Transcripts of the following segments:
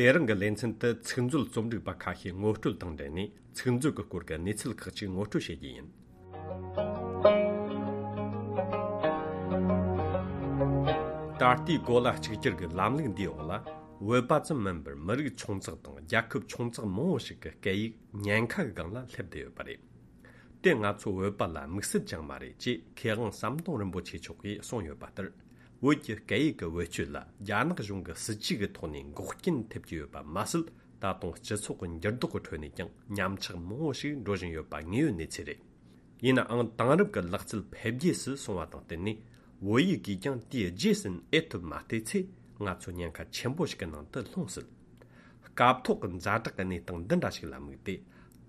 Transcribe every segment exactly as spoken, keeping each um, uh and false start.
དེ་རིང་གི་ལེ་ཚན་དུ་ཚིག་མཛོད་རྩོམ་སྒྲིག་པ་ཁ་ཤས་ངོ་སྤྲོད་དང་འབྲེལ་ནས་ཚིག་མཛོད་ཀྱི་སྐོར་གྱི་གནས་ཚུལ་ཁག་ཅིག་ངོ་སྤྲོད་བྱེད་རྒྱུ་ཡིན། ད་ལྟའི་གོ་ལ་གཅིག་གྱུར་གྱི་ལམ་ལུགས་འདིའི་འོག་ལ། བོད་པ་ཙམ་མིན་པར་མི་རིགས་ཆུང་ཙག་དང་རྒྱལ་ཁབ་ཆུང་ཙག་མང་བོ་ཞིག་གི་སྐད་ཡིག་ཉེན་ཁ་གི་སྒང་ལ་སླེབས་བསྡད་ཡོད་པ་རེད། དེ་ང་ཚོ་བོད་པ་ལ་དམིགས་བསལ་ཅང་མ་རེད་ཅེས་མཁས་དབང་ཟམ་གདོང་རིན་པོ་ཆེ་མཆོག་གིས་གསུངས་ཡོད་པ་ལྟར། བོད་ཀྱི་སྐད་ཡིག་གི་བེད་སྤྱོད་ལ་རྒྱ་ནག་གཞུང་གི་སྲིད་ཇུས་ཀྱི་ཐོག་ནས་འགོག་རྐྱེན་ཐེབས་ཀྱི་ཡོད་པ་མ་ཟད། ད་དུང་སྤྱི་ཚོགས་ཀྱི་འགྱུར་ལྡོག་གི་ཁྲོད་ནས་ཀྱང་ཉམས་ཆག་མང་བོ་ཞིག་འགྲོ་བཞིན་ཡོད་པ་དངོས་ཡོད་གནས་ཚུལ་རེད། ཡིན་ནའང་དེང་རབས་ཀྱི་ལག་རྩལ་འཕེལ་རྒྱས་སུ་སོང་བ་དང་བསྟུན་ནས། བོད་ཡིག་གིས་ཀྱང་དེའི་རྗེས་ཟིན་ཨེ་ཐུབ་མ་བལྟས་ཚེ། ང་ཚོ་ཉེན་ཁ་ཆེན་པོ་ཞིག་གི་ནང་དུ་ལྷུང་སྲིད། སྐབས་ཐོག་གི་ཛ་དྲག་གི་གནས་སྟངས་འདི་འདྲ་ཞིག་ལ་དམིགས་ཏེ།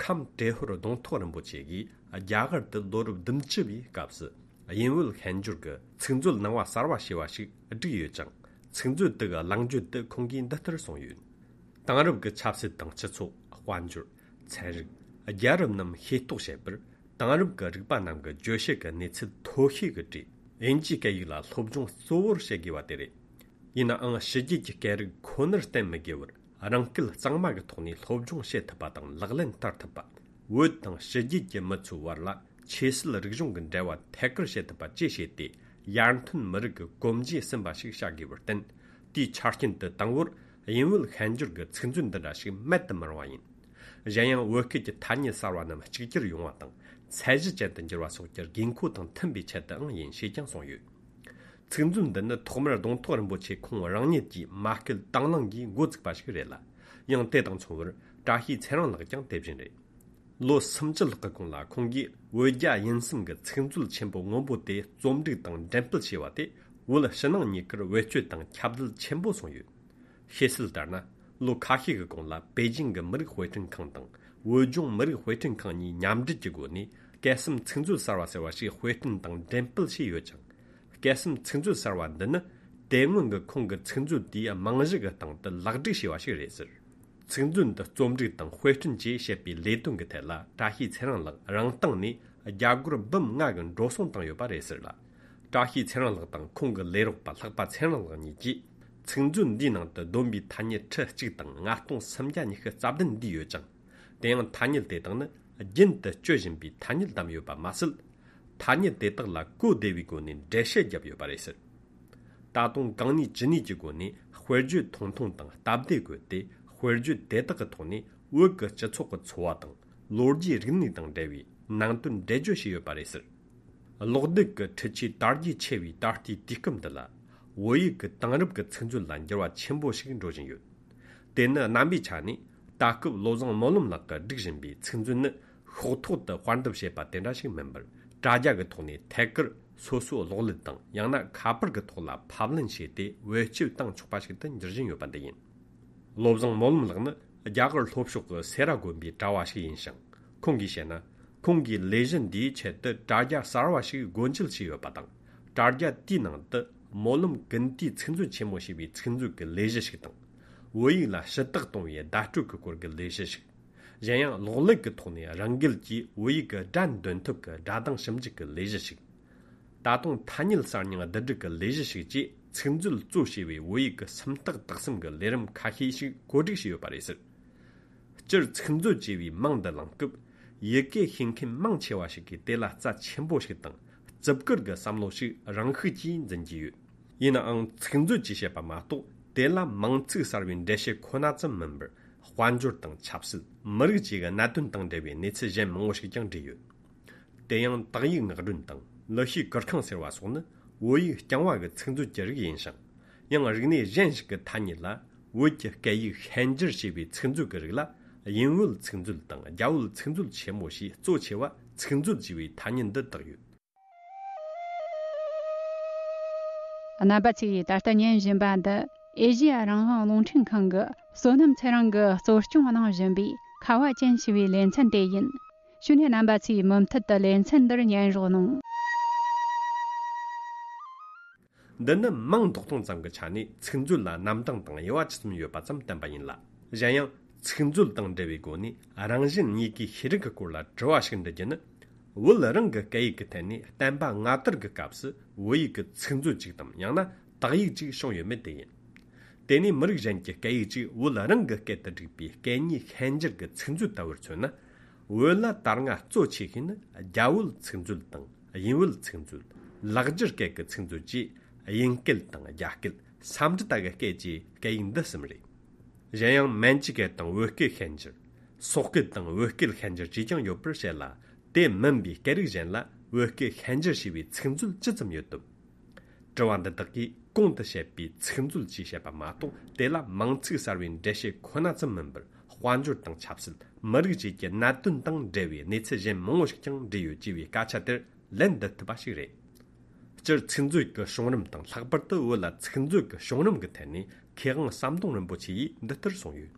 ཁམས་ཏྲེ་ཧོར་གདོང་ཐོག་རིན་པོ་ཆེ་གིས་རྒྱ་གར་དུ་ལོ་རབས་བདུན་ཅུ་བའི་སྐབས་སུ་དབྱིན་བོད་ཤན་སྦྱོར་གྱི་ཚིག་མཛོད་ནང་པ་གསར་བ་ཞེས་པ་ཞིག་བསྒྲིགས་ཡོད་ཅིང་། ཚིག་མཛོད་དེ་གི་གླེང་བརྗོད་དུ་ཁོང་གིས་འདི་ལྟར་གསུངས་ཡོད། དེང་རབས་ཀྱི་ཆབ་སྲིད་དང་སྤྱི་ཚོགས། དཔལ་འབྱོར། ཚན་རིག་རྒྱལ་རབས་རྣམས་ཤེས་རྟོགས་བྱེད་པར། དེང་རབས་ཀྱི་རིག་པ་རྣམས་ཀྱི་བརྗོད་བྱེད་ཀྱི་གནས་ཚུལ་མཐོ་ཤོས་ཀྱི་གྲས་དབྱིན་ཇིའི་སྐད་ཡིག་ལ་སློབ་སྦྱོང་གཙོ་བོར་བྱེད་དགོས་པ་དེ་རེད། ཡིན་ནའང་ཕྱི་རྒྱལ་གྱི་སྐད་རིགས་ཁོ་ནར་བརྟེན་མི་དགོས་པར། རང་སྐད་གཙང་མ་གི་ཐོག་ནས་སློབ་སྦྱོང་བྱེད་ཐུབ་པ་དང་ལག་ལེན་བསྟར་ཐུབ་པ། བོད་དང་ཕྱི་རྒྱལ་གྱི་མི་ཚོའི་བར་ལ་ཆོས་སྲིད་རིག་གཞུང་གི་འབྲེལ་བ་ཐད་ཀར་བྱེད་ཐུབ་པ་བཅས་བྱས་ཏེ། ཡར་ཐོན་མི་རིགས་ཀྱི་གོམ་རྗེས་ཟིན་པ་ཞིག་བྱ་དགོས་པར་བརྟེན། དེའི་ཆ་རྐྱེན་དུ་དང་པོར་དབྱིན་བོད་ཤན་སྦྱོར་གྱི་ཚིག་མཛོད་འདི་འདྲ་ཞིག་མེད་དུ་མི་རུང་བ་ཡིན། གཞན་ཡང་བོད་སྐད་ཀྱི་ཐ་སྙད་གསར་བ་རྣམས་གཅིག་གྱུར་ཡོང་བ་དང་ཚད་གཞི་ཅན་དུ་འགྱུར་བ་སོགས་ཀྱི་དགོས་མཁོ་དང་མཐུན་པའི་ཆེད་དུའང་ཡིན་ཞེས་ཀྱང་གསུངས་ཡོད། ཚིག་མཛོད་འདི་ནི་ཐོག་མར་གདོང་ཐོག་རིན་པོ་ཆེ་ཁོང་རང་ཉིད་ཀྱིས་མ་སྐུལ་དང་བླངས་ཀྱིས་འགོ་བཙུགས་པ་ཞིག་རེད་ལ། ཡང་དེ་དང་མཚུངས་པར་བཀྲ་ཤིས་ཚེ་རིང་ལགས་ཀྱང་དེ་བཞིན་རེད། ལོ་སུམ་ཅུ་ལྷག་གི་གོང་ལ་ཁོང་གིས་བོད་རྒྱ་དབྱིན་གསུམ་གྱི་ཚིག་མཛོད་ཆེན་པོ་སྔོན་པོ་དེ་རྩོམ་སྒྲིག་དང་འགྲེམས་སྤེལ་བྱས་པ་དེ། བོད་ཕྱི་ནང་གཉིས་ཀར་བེད་སྤྱོད་དང་ཁྱབ་གདལ་ཆེན་པོ་སོང་ཡོད། ཤེས་གསལ་ལྟར་ན། ལོ་ཁ་ཤས་ཀྱི་གོང་ལ་པེ་ཅིང་གི་མི་རིགས་དཔེ་སྐྲུན་ཁང་དང་བོད་ལྗོངས་མི་རིགས་དཔེ་སྐྲུན་ཁང་གཉིས་མཉམ་འབྲེལ་གྱི་སྒོ་ནས་སྐད་གསུམ་ཚིག་མཛོད་གསར་བ་ཟེར་བ་ཞིག་དཔེ་སྐྲུན་དང་འགྲེམས་སྤེལ་བྱས་ཡོད་ཅིང་། སྐད་གསུམ་ཚིག་མཛོད་གསར་བ་འདི་ནི་དེ་སྔོན་གྱི་ཁོང་གི་ཚིག་མཛོད་དེའི་རྨང་གཞི་གི་སྟེང་དུ་ལེགས་སྒྲིག་བྱས་པ་ཞིག་རེད་ཟེར། ཚིག་མཛོད་འདི་རྩོམ་སྒྲིག་དང་དཔེ་སྐྲུན་བཅས་བྱེད་པའི་ལས་དོན་གྱི་ཐད་ལ་བཀྲ་ཤིས་ཚེ་རིང་ལགས་རང་སྟེང་ནས་རྒྱ་སྒོར་འབུམ་ལྔ་གི་འགྲོ་སོང་བཏང་ཡོད་པ་རེད་ཟེར་ལ། བཀྲ་ཤིས་ཚེ་རིང་ལགས་དང་ཁོང་གི་ལས་རོགས་པ་ལྷག་པ་ཚེ་རིང་ལགས་གཉིས་ཀྱིས་ཚིག་མཛོད་འདིའི་ནང་དུ་བསྡོམས་པའི་ཐ་སྙད་ཁྲི་གཅིག་དང་ལྔ་སྟོང་སུམ་བརྒྱ་ཉི་ཤུ་རྩ་བདུན་བསྡུས་ཡོད་ཅིང་། དེ་ཡང་ཐ་སྙད་དེ་དག་ནི་རྒྱུན་དུ་སྤྱོད་བཞིན་པའི་ཐ་སྙད་བདམས་ཡོད་པ་མ་ཟད། ཐ་སྙད་དེ་དག་ལ་གོ་བདེ་བའི་སྒོ་ནས་འགྲེལ་བཤད་བརྒྱབ་ཡོད་པ་རེད་ཟེར། ད་དུང་གང་ནུས་ཅི་ནུས་ཀྱི་སྒོ་ནས་དཔེར་བརྗོད་ཐུང་ཐུང་དང་སྟབས་བདེ་བཀོད་དེ། དཔེར་བརྗོད་དེ་དག་གི་ཐོག་ནས་བོད་ཀྱི་སྤྱི་ཚོགས་ཀྱི་འཚོ་བ་དང་ལོ་རྒྱུས་རིག་གནས་དང་འབྲེལ་བའི་ནང་དོན་འགྲེལ་བརྗོད་བྱས་ཡོད་པ་རེད་ཟེར། གློག་རྡུལ་གྱི་འཕྲུལ་ཆས་དར་རྒྱས་ཆེ་བའི་ད་ལྟའི་དུས་སྐབས་འདི་ལ། བོད་ཡིག་གི་དེང་རབས་ཀྱི་ཚིག་མཛོད་ལ་འགྱུར་བ་ཆེན་པོ་ཞིག་འགྲོ་བཞིན་ཡོད། དེ་ནི་རྣམ་པའི་ཆ་ནས་ད་སྐབས་བློ་བཟང་སྨོན་ལམ་ལགས་ཀྱིས་སྒྲིག་བཞིན་པའི་ཚིག་མཛོད་ནི་ཤོག་ཐོག་ཏུ་དཔར་འདེབས་བྱས་པ་དེ་འདྲ་ཞིག་མིན་པར། དྲ་རྒྱ་གི་ཐོག་ནས་ཐད་ཀར་སོ་སོའི་གློག་ཀླད་དང་ཡང་ན་ཁ་པར་གྱི་ཐོག་ལ་ཕབ་ལེན་བྱས་ཏེ་བེད་སྤྱོད་བཏང་ཆོག་པ་ཞིག་ཏུ་འགྱུར་བཞིན་ཡོད་པ་འདི་ཡིན། བློ་བཟང་སྨོན་ལམ་ལགས་ནི་རྒྱ་གར་ལྷོ་ཕྱོགས་ཀྱི་སེ་ར་དགོན་པའི་གྲྭ་བ་ཞིག་ཡིན་ཞིང་། ཁོང་གིས་བཤད་ན། ཁོང་གིས་ལས་གཞི་འདིའི་ཆེད་དུ་དྲ་རྒྱ་གསར་བ་ཞིག་སྒོ་འབྱེད་བྱས་ཡོད་པ་དང་། དྲ་རྒྱ་དེའི་ནང་དུ་སྨོན་ལམ་ཀུན་བཏུས་ཚིག་མཛོད་ཆེན་མོ་ཞེས་པའི་ཚིག་མཛོད་ཀྱི་ལས་གཞི་ཞིག་དང་། བོད་ཡིག་ལ་ཞུ་དག་གཏོང་བའི་བརྡ་སྤྲོད་ཀྱི་སྐོར་གྱི་ལས་གཞི་ཞིག། གཞན་ཡང་གློག་ཀླད་ཀྱི་ཐོག་ནས་རང་འགུལ་གྱིས་བོད་ཡིག་གི་སྒྲ་འདོན་ཐབས་ཀྱི་སྒྲ་གདངས་ཞིབ་འཇུག་གི་ལས་གཞི་ཞིག། ད་དུང་ཐ་སྙད་གསར་རྙིང་བསྡུ་སྒྲིག་གི་ལས་གཞི་ཞིག་བཅས་ཚིག་མཛོད་གཙོ་བྱས་པའི་བོད་ཡིག་གི་སུམ་རྟགས་དག་གསུམ་གྱི་ལས་རིམ་ཁ་ཤས་ཤིག་བཀོད་སྒྲིག་བྱས་ཡོད་པ་རེད་ཟེར། སྤྱིར་ཚིག་མཛོད་ཅེས་པའི་མིང་འདི་བླངས་སྐབས། ཡི་གེ་ཤེས་མཁན་མང་ཆེ་བ་ཞིག་གིས་དེ་ལ་རྩ་ཆེན་པོ་ཞིག་དང་། བརྩི་བཀུར་གྱི་བསམ་བློ་ཞིག་རང་ཤུགས་ཀྱིས་འཛིན་གྱི་ཡོད། ཡིན་ནའང་ཚིག་མཛོད་ཅེས་བཤད་པ་མ་གཏོགས། དེ་ལ་མིང་ཚིག་གསར་བའི་འགྲེལ་བཤད་ཁོ་ན་ཙམ་མིན་པར། དཔལ་འབྱོར་དང་ཆབ་སྲིད། མི་རིགས་བཅས་ཀྱི་གནད་དོན་དང་འབྲེལ་བའི་གནས་ཚུལ་གཞན་མང་བོ་ཞིག་ཀྱང་འདྲེས་ཡོད། དེ་ཡང་དག་ཡིག་ངག་སྒྲོན་དང་ལི་ཤིའི་གུར་ཁང་ཟེར་བ་སོགས་ནི་བོད་ཡིག་རྐྱང་བ་གི་ཚིག་མཛོད་ཀྱི་རིགས་ཡིན་ཞིང་། ཡང་རིག་གནས་གཞན་ཞིག་གི་ཐ་སྙད་ལ་བོད་ཀྱི་སྐད་ཡིག་ཤན་སྦྱར་བྱས་པའི་ཚིག་མཛོད་ཀྱི་རིགས་ལ་དབྱིན་བོད་ཚིག་མཛོད་དང་རྒྱ་བོད་ཚིག་མཛོད་ཆེན་མོ་ཞེས་གཙོ་ཆེ་བ་ཚིག་མཛོད་ཅེས་པའི་ཐ་སྙད་འདི་བཏགས་ཡོད། རྣམ་པ་ཚོས་ད་ལྟ་ཉན་བཞིན་པ་འདི་ཨེ་ཤེ་ཡ་རང་དབང་རླུང་འཕྲིན་ཁང་གི་བསོད་ནམས་ཚེ་རིང་གིས་གཙོ་སྐྱོང་གནང་བཞིན་པའི་ཁ་བ་ཅན་ཞེས་པའི་ལེ་ཚན་དེ་ཡིན། ཞུ་ནས་རྣམ་པ་ཚོས་མུ་མཐུད་དུ་ལེ་ཚན་འདིར་ཉན་རོགས་གནང་། འདི་ནི་མིང་འདོགས་སྟངས་ཙམ་གྱི་ཆ་ནས་ཚིག་མཛོད་ལ་རྣམ་གྲངས་དང་དབྱེ་བ་ཇི་ཙམ་ཡོད་པ་ཙམ་བསྟན་པ་ཡིན་ལ། གཞན་ཡང་ཚིག་མཛོད་དང་འབྲེལ་བའི་སྒོ་ནས་རང་བཞིན་གཉིས་ཀའི་ཤེས་རིག་གི་སྐོར་ལ་དྲི་བ་ཞིག་འདྲི་རྒྱུ་ནི། བོད་རང་གི་སྐད་ཡིག་གི་ཐད་ནས་བསྟན་པ་སྔ་དར་གྱི་སྐབས་སུ་བོད་ཡིག་གི་ཚིག་མཛོད་ཅིག་དང་ཡང་ན་དག་ཡིག་ཅིག་བྱུང་ཡོད་མེད་དེ་ཡིན། དེ་ནས་མི་རིགས་གཞན་གྱི་སྐད་ཡིག་ཅིག་བོད་རང་གི་སྐད་དུ་བསྒྲིགས་པའི་སྐད་གཉིས་ཤན་སྦྱར་གྱི་ཚིག་མཛོད་ལྟ་བུར་མཚོན་ན། བོད་ལ་ད་སྔ་གཙོ་ཆེ་ཤོས་ནི་རྒྱ་བོད་ཚིག་མཛོད་དང་དབྱིན་བོད་ཚིག་མཛོད། ལེགས་སྦྱར་སྐད་ཀྱི་ཚིག་མཛོད་བཅས་དབྱིན་སྐད་དང་རྒྱ་སྐད། སཾ་སྐྲྀ་ཏ་གི་སྐད་བཅས་སྐད་ཡིག་འདི་གསུམ་རེད། གཞན་ཡང་མན་ཇུ་སྐད་དང་བོད་སྐད་ཤན་སྦྱར། སོག་སྐད་དང་བོད་སྐད་ཤན་སྦྱར་བཅས་ཀྱང་ཡོད་པར་བཤད་ལ། དེ་མིན་པའི་སྐད་རིགས་གཞན་ལ་བོད་སྐད་ཤན་སྦྱར་བྱས་པའི་ཚིག་མཛོད་ཇི་ཙམ་ཡོད་དམ། དྲི་བ་འདི་དག་གིས་གོང་དུ་བཤད་པའི་ཚིག་མཛོད་ཅེས་བཤད་པ་མ་གཏོགས། དེ་ལ་མིང་ཚིག་གསར་བའི་འགྲེལ་བཤད་ཁོ་ན་ཙམ་མིན་པར། དཔལ་འབྱོར་དང་ཆབ་སྲིད། མི་རིགས་བཅས་ཀྱི་གནད་དོན་དང་འབྲེལ་བའི་གནས་ཚུལ་གཞན་མང་བོ་ཞིག་ཀྱང་འདྲེས་ཡོད་ཅེས་པའི་སྐད་ཆ་དེར་ལན་འདེབས་ཐུབ་པ་ཞིག་རེད། སྤྱིར་ཚིག་མཛོད་ཀྱི་བྱུང་རིམ་དང་། ལྷག་པར་དུ་བོད་ལ་ཚིག་མཛོད་ཀྱི་བྱུང་རིམ་གྱི་ཐད་ནས། མཁས་དབང་ཟམ་གདོང་རིན་པོ་ཆེ་ཡིས་འདི་ལྟར་གསུངས་ཡོད།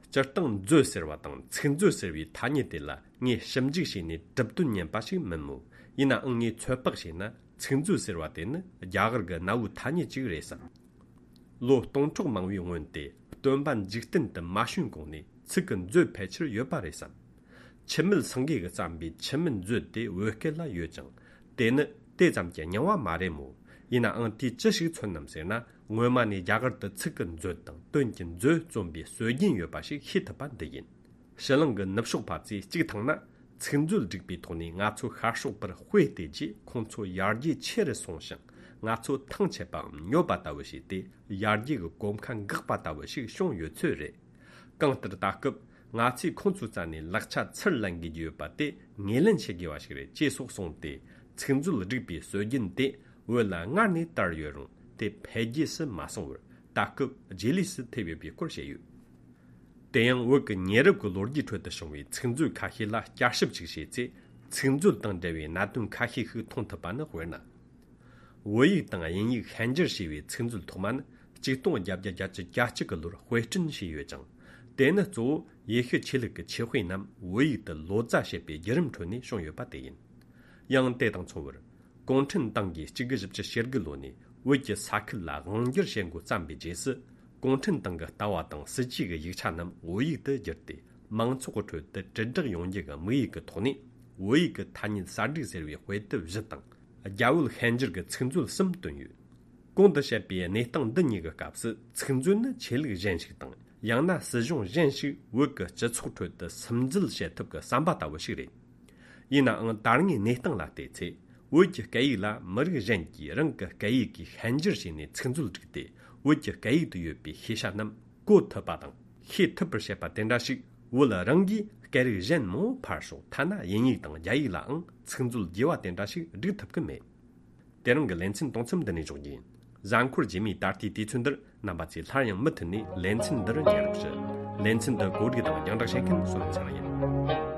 སྤྱིར་བཏང་མཛོད་ཟེར་བ་དང་ཚིག་མཛོད་ཟེར་བའི་ཐ་སྙད་དེ་ལ་ངས་ཞིབ་འཇུག་བྱས་ནས་གྲུབ་དོན་ཉན་པ་ཞིག་མིན་མོད། ཡིན་ནའང་ངས་ཚོད་དཔག་བྱས་ན། ཚིག་མཛོད་ཟེར་བ་དེ་ནི་རྒྱ་གར་གྱི་གནའ་བོའི་ཐ་སྙད་ཅིག་རེད་བསམ། ལོ་སྟོང་ཕྲག་མང་བོའི་སྔོན་དེ། སྟོན་པ་འཇིག་རྟེན་དུ་མ་བྱོན་གོང་ནས་ཚིག་གི་མཛོད་ཕལ་ཆེར་ཡོད་པ་རེད་བསམ། འཆི་མེད་སེང་གེ་གིས་བརྩམས་པའི་འཆི་མེད་མཛོད་དེ་བོད་སྐད་ལ་ཡོད་ཅིང་། དེ་ནི་དེ་ཙམ་གྱི་རྙིང་བ་མ་རེད་མོད། ཡིན་ནའང་དེས་ཅི་ཞིག་མཚོན་ནམ་ཟེར་ན། སྔོན་མ་ནས་རྒྱ་གར་དུ་ཚིག་གི་མཛོད་དང་དོན་གྱི་མཛོད་རྩོམ་པའི་སྲོལ་རྒྱུན་ཡོད་པ་ཞིག་ཤེས་ཐུབ་པ་འདི་ཡིན། ཕྱི་གླིང་གི་ནུབ་ཕྱོགས་པ་ཚོས་གཅིག་མཐོང་ན། ཚིག་མཛོད་བསྒྲིགས་པའི་ཐོག་ནས་ང་ཚོ་ཤར་ཕྱོགས་པར་དཔེ་བལྟས་རྗེས། ཁོང་ཚོ་ཡར་རྒྱས་ཆེ་རུ་སོང་ཞིང་། ང་ཚོ་ཐང་ཆད་པའམ་ཉོབ་པ་ལྟ་བུ་བྱས་ཏེ། ཡར་རྒྱས་ཀྱི་གོམ་ཁ་འགག་པ་ལྟ་བུ་ཞིག་བྱུང་ཡོད་ཚོད་རེད། གང་ལྟར་ད་སྐབས་ང་ཚོས་ཁོང་ཚོའི་རྩ་ནས་ལག་ཆ་ཚུར་ལེན་དགོས་ཀྱི་ཡོད་པ་དེ་ངོས་ལེན་བྱེད་དགོས་པ་ཞིག་རེད་ཅེས་སོགས་གསུངས་ཏེ། ཚིག་མཛོད་བསྒྲིགས་པའི་སྲོལ་རྒྱུན་དེ་བོད་ལ་སྔར་ནས་དར་ཡོད་རུང་། དེ་འཕེལ་རྒྱས་སུ་མ་སོང་བར། ད་སྐབས་རྗེས་ལུས་སུ་ཐེབས་ཡོད་པའི་སྐོར་བཤད་ཡོད། དེ་ཡང་བོད་ཀྱི་ཉེ་རབས་ཀྱི་ལོ་རྒྱུས་ཁྲོད་དུ་བྱུང་བའི་ཚིག་མཛོད་ཁ་ཤས་ལ་བསྐྱར་ཞིབ་ཅིག་བྱས་ཚེ། ཚིག་མཛོད་དང་འབྲེལ་བའི་གནད་དོན་ཁ་ཤས་ཤིག་མཐོང་ཐུབ་པ་ནི། དཔེར་ན། བོད་ཡིག་དང་དབྱིན་ཡིག་ཤན་སྦྱར་བྱས་པའི་ཚིག་མཛོད་ཐོག་མ་ནི་ཆིག་སྟོང་བརྒྱད་བརྒྱ་གྱ་གཅིག་གི་ལོར་དཔེ་སྐྲུན་བྱས་ཡོད་ཅིང་། དེ་ནི་གཙོ་བོ་ཡེ་ཤུ་ཆོས་ལུགས་ཀྱི་ཆོས་དཔེ་རྣམས་བོད་ཡིག་ཏུ་ལོ་ཙཱ་བྱེད་པའི་བརྒྱུད་རིམ་ཁྲོད་ནས་བྱུང་ཡོད་པ་དེ་ཡིན། ཡང་དེ་དང་མཚུངས་པར། གུང་ཁྲན་ཏང་གིས་གཅིག་དགུ་བཞི་བཅུ་ཞེ་དགུ་ལོ་ནས་བོད་ཀྱི་ས་ཁུལ་ལ་དབང་སྒྱུར་བྱེད་འགོ་བརྩམས་པའི་རྗེས་སུ། གུང་ཁྲན་ཏང་གི་ལྟ་བ་དང་སྲིད་ཇུས་ཀྱི་ཡིག་ཆ་རྣམས་བོད་ཡིག་ཏུ་བསྒྱུར་ཏེ། མང་ཚོགས་ཀྱི་ཁྲོད་དུ་དྲིལ་བསྒྲགས་ཡོང་རྒྱུ་གི་དམིགས་ཡུལ་གྱི་ཐོག་ནས། བོད་ཡིག་གི་ཐ་སྙད་གསར་བསྒྲིགས་ཟེར་བའི་དཔེ་དེབ་བཞི་དང་། རྒྱ་བོད་ཤན་སྦྱར་གྱི་ཚིག་མཛོད་གསུམ་བཏོན་ཡོད། གོང་དུ་བཤད་པའི་གནས་སྟངས་འདི་གཉིས་ཀྱི་སྐབས་སུ། ཚིག་མཛོད་ནི་ཆོས་ལུགས་གཞན་ཞིག་དང་། ཡང་ན་སྲིད་གཞུང་གཞན་ཞིག་བོད་ཀྱི་སྤྱི་ཚོགས་ཁྲོད་དུ་སིམ་འཛུལ་བྱེད་ཐབས་ཀྱི་ཟམ་པ་ལྟ་བུ་ཞིག་རེད། ཡིན་ནའང་། ད་སྔའི་གནས་སྟངས་ལ་བལྟས་ཚེ། བོད་ཀྱི་སྐད་ཡིག་ལ་མི་རིགས་གཞན་གྱིས་རང་གི་སྐད་ཡིག་གིས་ཤན་སྦྱར་བྱས་ནས་ཚིག་མཛོད་བསྒྲིགས་ཏེ། བོད་ཀྱི་སྐད་ཡིག་ཏུ་ཡོད་པའི་ཤེས་བྱ་རྣམས་གོ་ཐུབ་པ་དང་ཤེས་ཐུབ་པར་བྱེད་པ་དེ་འདྲ་ཞིག་བོད་རང་གིས་སྐད་རིགས་གཞན་མང་བོ་ཕར་ཞོག་ཐ་ན་དབྱིན་ཡིག་དང་རྒྱ་ཡིག་ལའང་ཚིག་མཛོད་རྒྱས་པ་དེ་འདྲ་ཞིག་བསྒྲིགས་ཐུབ་ཀྱི་མེད། དེ་རིང་གི་ལེ་ཚན་གཏོང་མཚམས་འདི་ནས་འཇོག་རྒྱུ་ཡིན། གཟའ་འཁོར་རྗེས་མའི་ད་ལྟའི་དུས་ཚོད་འདིར་རྣམ་པ་ཚོས་སླར་ཡང་མུ་མཐུད་ནས་ལེ་ཚན་འདི་རུ་ཉན་རོགས་ཞུ། ལེ་ཚན་འདི་གོ་སྒྲིག་དང་རྒྱང་བསྒྲགས་བྱེད་མཁན་བསོད་ནམས་ཚེ་རིང་ཡིན།